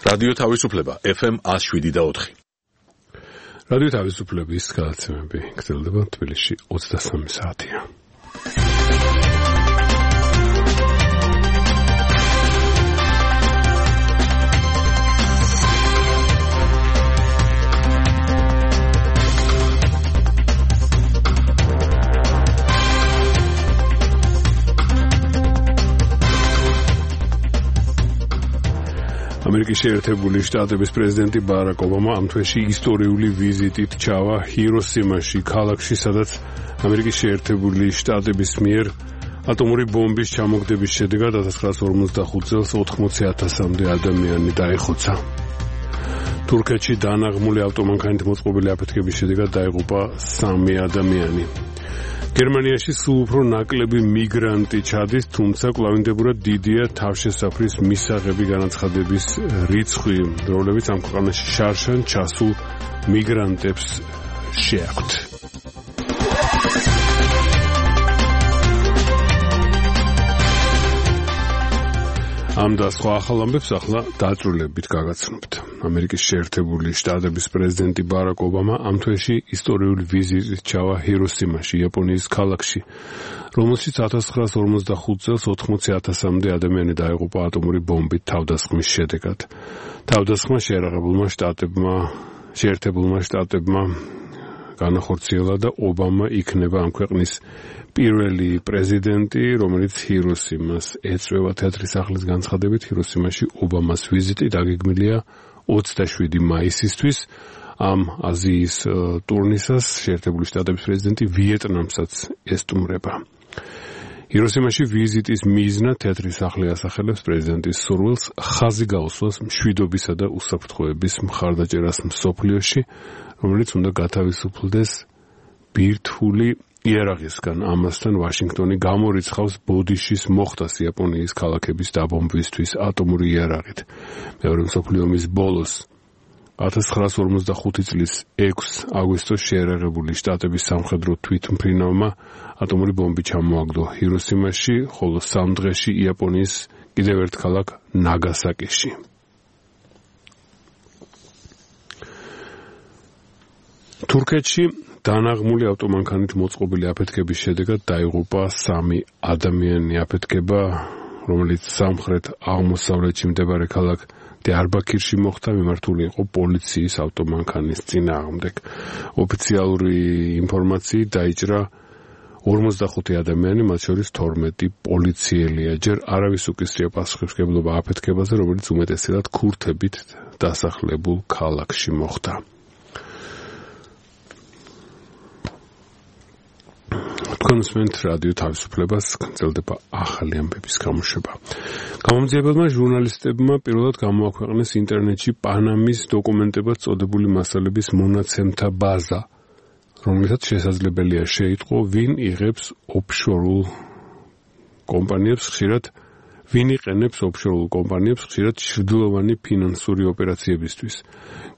რადიო თავისუფლება FM 107.4. რადიო თავისუფლების გადაცემები გრძელდება თბილისში 23 საათია. ამერიკის შეერთებული შტატების პრეზიდენტი ბარაკ ობამა ამ თვეში ისტორიული ვიზიტით ჩავა ჰიროსიმაში, ქალაქში, სადაც ამერიკის შეერთებული შტატების მიერ ატომური ბომბის ჩამოგდების შედეგად 1945 წელს 80,000-მდე ადამიანი დაიხოცა. თურქეთში დანაღმული ავტომანქანით მოწყობილი აფეთქების შედეგად დაიღუპა 3 ადამიანი. გერმანიაში სულ უფრო ნაკლები მიგრანტი ჩადის, თუმცა კვლავინდებურად დიდია თავშესაფრის მისაღები განაცხადების რიცხვი, რომლებიც ამ ქვეყანაში შარშან ჩასულ მიგრანტებს შეაქვთ. ამ და სხვა ახალ ამბებს ახლა დაწვრილებით გაგაცნობთ. ამერიკის შეერთებული შტატების პრეზიდენტი ბარაკ ობამა ამ თვეში ისტორიული ვიზიტით ჩავა ჰიროსიმაში, იაპონიის ქალაქში, რომელშიც 1945 წელს 80,000-მდე ადამიანი დაიღუპა ატომური ბომბით თავდასხმის შედეგად. თავდასხმა შეერთებულმა შტატებმა განახორციელა და ობამა იქნება ამ ქვეყნის პირველი პრეზიდენტი, რომელიც ჰიროსიმას ეწვევა. თეატრის სახლის განცხადებით, ჰიროსიმაში ობამას ვიზიტი დაგეგმილია 27 მაისისთვის. ამ აზიის ტურნისას შეერთებული შტატების პრეზიდენტი ვიეტნამსაც ესტუმრება. ჰიროსიმაში ვიზიტის მიზნად თეატრის სახლი ასახელებს პრეზიდენტის სურვილს ხაზი გაუსვას მშვიდობისა და უსაფრთხოების მხარდაჭერას მსოფლიოში, რომელიც უნდა გათავისუფლდეს ბირთვული იარაღისგან. ამასთან ვაშინგტონი გამორიცხავს ბოდიშის მოხდას იაპონიის ქალაქების დაბომბვისთვის ატომური იარაღით. მეორე მსოფლიო ომის ბოლოს 1945 წლის 6 აგვისტოს შეერაღებული შტატების სამხედრო თვითმფრინავმა ატომური ბომბი ჩამოაგდო ჰიროსიმაში, ხოლო 3 დღეში იაპონიის კიდევ ერთ ქალაქ ნაგასაკიში. თურქეთში დანაღმული ავტომანქანით მოწყობილი აფეთქების შედეგად დაიღუპა 3 ადამიანი. აფეთქება, რომელიც სამხრეთ აღმოსავლეთში მდებარე ქალაქ დიარბაქირში მოხდა, მიმართული იყო პოლიციის ავტომანქანის წინააღმდეგ. ოფიციალური ინფორმაციით დაიჭრა 45 ადამიანი, მათ შორის 12 პოლიციელია. ჯერ არავის უკისრია პასუხისმგებლობა აფეთქებაზე, რომელიც უმეტესად ქურთებით დასახლებულ ქალაქში მოხდა. კონსმენტ რადიო თავისუფლებას გრძელდება ახალი ამბების გამოშვება. გამომძიებელმა ჟურნალისტებმა პირველად გამოაქვეყნეს ინტერნეტში პანამის დოკუმენტებად წოდებული მასალების მონაცემთა ბაზა, რომელსაც შესაძლებელია შეიტყო, ვინ იღებს ოფშორულ კომპანიებს ხშირად ჩრდილოვანი ფინანსური ოპერაციებისთვის.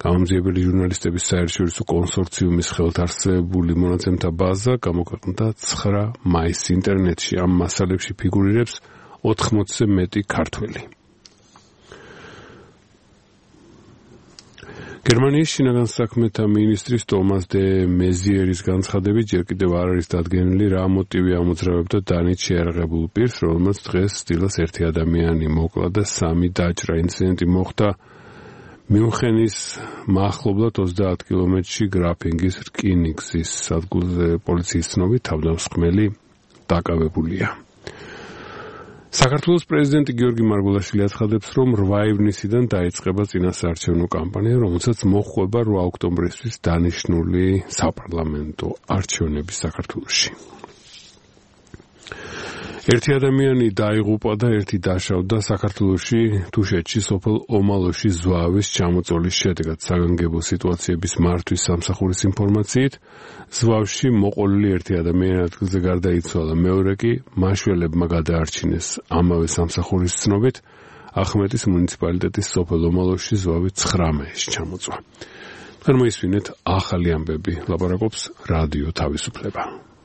გამომძიებელი ჟურნალისტების საერთაშორისო კონსორციუმის ხელთ არსებული მონაცემთა ბაზა გამოქვეყნდა 9 მაისს ინტერნეტში. ამ მასალებში ფიგურირებს 80-ზე მეტი ქართველი. გერმანიის შინაგან საქმეთა მინისტრის ტომას დე მეზიერის განცხადებით, ჯერ კიდევ არ არის დადგენილი, რა მოტივი ამოძრავებდა დანით შეიარაღებულ პირს, რომელმაც დღეს სტილას 1 ადამიანი მოკლა და 3 დაჭრა. ინციდენტი მოხდა მიუნხენის მახლობლად 30 კილომეტრში გრაფინგის რკინიგზის სადგურზე. პოლიციის ცნობით თავდამსხმელი დაკავებულია. საქართველოს პრეზიდენტი გიორგი მარგველაშვილი აცხადებს, რომ 8 ივნისიდან დაიწყება წინასაარჩევნო კამპანია, რომელსაც მოჰყვება 8 ოქტომბრისთვის დანიშნული საპარლამენტო არჩევნები საქართველოში. 1 ადამიანი დაიღუპა და 1 დაშავდა საქართველოში თუშეთში სოფელ ომალოში ზვავის ჩამოწოლის შედეგად. საგანგებო სიტუაციების მართვის სამსახურის ინფორმაციით, ზვავში მოყოლილი 1 ადამიანი ადგილზე გარდაიცვალა, მეორე კი მაშველებმა გადაარჩინეს. ამავე სამსახურის ცნობით, ახმეტის მუნიციპალიტეტის სოფელ ომალოში ზვავი 19-ში ჩამოწვა. მოისმინეთ ახალი ამბები, ლაპარაკობს რადიო თავისუფლება.